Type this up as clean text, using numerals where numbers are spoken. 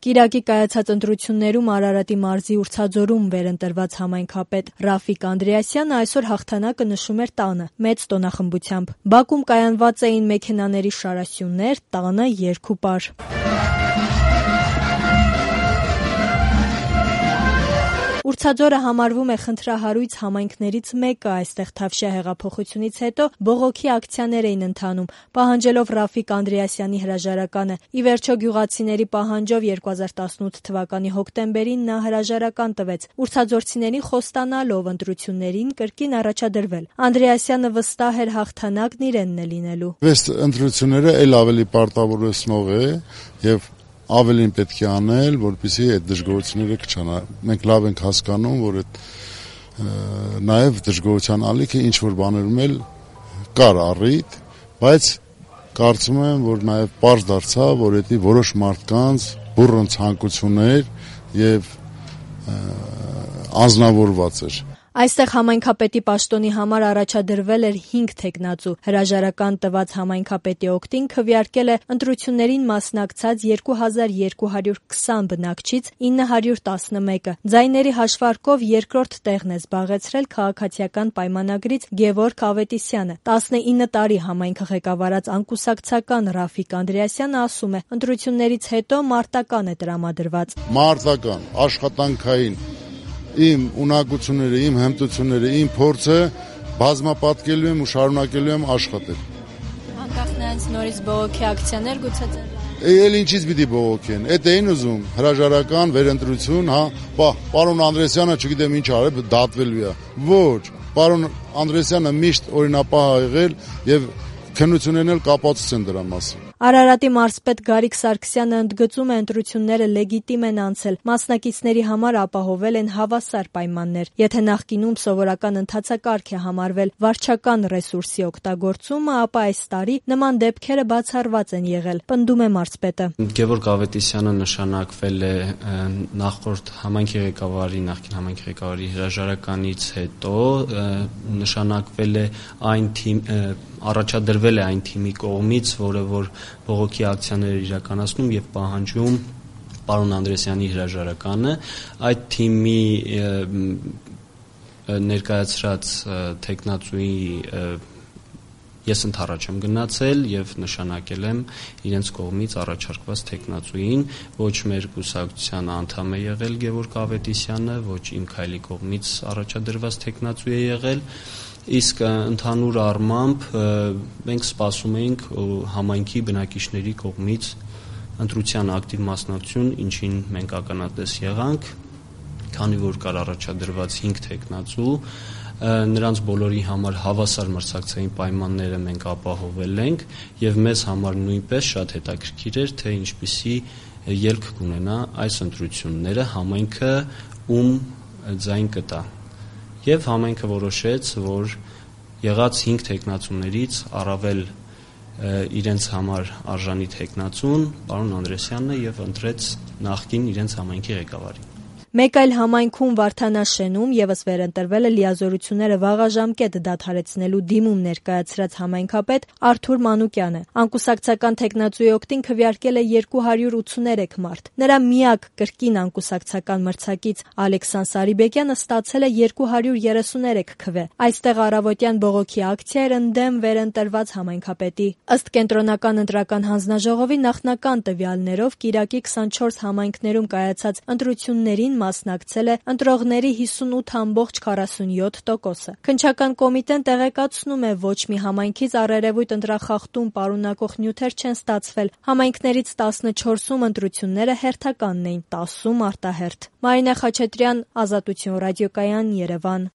Կիրակի կայացած ընտրություններում Արարատի մարզի Ուրցաձորում վերընտրված համայնքապետ Ռաֆիկ Անդրեասյանը այսօր հաղթանակը նշում էր տանը, մեծ տոնախմբությամբ։ Բակում կայանված էին մեքենաների շարասյուններ, տանը երգուպար։ Ուրցաձորը համարվում է խնդրահարույց համայնքներից մեկը, այստեղ Թավշյա հեղափոխությունից հետո բողոքի ակցիաներ էին ընթանում, պահանջելով Ռաֆիկ Անդրեասյանի հրաժարականը։ Ի վերջո գյուղացիների պահանջով 2018 թվականի հոկտեմբերին նա հրաժարական տվեց, ուրցաձորցիներին խոստանալով ընտրություններին կրկին առաջադրվել։ Անդրեասյանը վստահ էր հաղթանակն իրենն է լինելու։ Այս ընտրությունները այլ ավելի պարտավորեցնող է եւ ավելին պետք է անել, որպեսզի այդ դժգոհությունները կչանա։ Մենք լավ ենք հասկանում, որ այդ նաև դժգոհության ալիքը ինչ որ բաներում էլ կար առիթ, բայց կարծում եմ, որ նաև պարզ դարձավ, որ դա որոշ մարդկանց բուռն ցանկություններ եւ անձնավորված էր։ Այստեղ համայնքապետի պաշտոնի համար առաջադրվել էր 5 թեկնածու։ Հրաժարական տված համայնքապետի օգտին քվեարկել է ընտրություններին մասնակցած 2220 բնակչից 911-ը։ Ձայների հաշվարկով երկրորդ տեղն է զբաղեցրել քաղաքացիական պայմանագրից Գևորգ Ավետիսյանը։ 19 տարի համայնքը ղեկավարած անկուսակցական Ռաֆիկ Անդրեասյանը ասում է, ընտրություններից հետո մարտական է տրամադրված։ Մարտական, աշխատանքային իմ ունակությունները, իմ հմտությունները, իմ փորձը բազմապատկելու եմ ու շարունակելու եմ աշխատել։ Անկախ նրանց նորից բողոքի ակցիաներ գուցե Էլ ինչից պիտի բողոքեն։ Էդ էին ուզում հրաժարական վերընտրություն, հա, պարոն Անդրեասյանը չգիտեմ ինչ արել, դատվելու է։ Ոչ, պարոն Անդրեասյանը միշտ օրինապահ ա եղել եւ քննություններն էլ կապացուցեն դրա մասին։ Արարատի մարզպետ Գարիկ Սարգսյանը ընդգծում է, ընտրությունները լեգիտիմ են անցել, մասնակիցների համար ապահովել են հավասար պայմաններ։ Եթե նախկինում սովորական ընթացակարգ է համարվել վարչական ռեսուրսի օգտագործումը, ապա այս տարի նման դեպքերը բացառված են եղել, պնդում է մարզպետը։ Գևորգ Ավետիսյանը նշանակվել է նախկին համայնքի ղեկավարի հրաժարականից հետո, նշանակվել է առաջադրվել է այն թիմի կողմից, որը որ բողոքի ակցիաներ իրականացնում եւ պահանջում պարոն Անդրեասյանի հրաժարականը։ Այդ թիմի ներկայացրած թեկնածուի ես ընդառաջ եմ գնացել եւ նշանակել եմ իրենց կողմից առաջարկված թեկնածուին, ոչ մեր կուսակցության անդամ է եղել Գևորգ Ավետիսյանը, ոչ իմ քայլի կողմից առաջադրված թեկնածու է եղել։ Իսկ ընդհանուր առմամբ մենք սպասում էինք համայնքի բնակիչների կողմից ընտրության ակտիվ մասնակցություն, ինչին մենք ականատես եղանք, քանի որ կար առաջադրված 5 թեկնածու, նրանց բոլորի համար հավասար մրցակցային պայմանները մենք ապահովել ենք եւ մեզ համար նույնպես շատ հետաքրքիր էր, թե ինչպիսի ելք կունենա այս ընտրությունները, համայնքը ում ձայն կտա։ Եվ համայնքը որոշեց, որ եղած 5 թեկնածուներից առավել իրենց համար արժանի թեկնածուն պարոն Անդրեասյանն է եւ ընտրեց նախկին իրենց համայնքի ղեկավարին։ Մեկ այլ համայնքում Վարդանաշենում եւս վերընտրվել է լիազորությունները վաղաժամկետ դադարեցնելու դիմում ներկայացրած համայնքապետ Արթուր Մանուկյանը։ Անկուսակցական թեկնածուի օգտին քվեարկել է 283 մարդ։ Նրա միակ կրկին անկուսակցական մրցակից Ալեքսան Սարիբեկյանը ստացել է 233 քվե։ Այստեղ առավոտյան բողոքի ակցիա էր ընդդեմ վերընտրված համայնքապետի։ Ըստ կենտրոնական ընտրական հանձնաժողովի նախնական տվյալներով կիրակի 24 համայնքներում կայացած ընտրություններին մասնակցել է ընտրողների 58.47%-ը։ Քննչական կոմիտեն տեղեկացնում է, ոչ մի համայնքից առերևույթ ընտրախախտում պարունակող նյութեր չեն ստացվել։ Համայնքներից 14-ում ընտրությունները հերթականն էին, 10-ում արտահերթ։ Մարինե Խաչատրյան, Ազատություն ռադիոկայան, Երևան։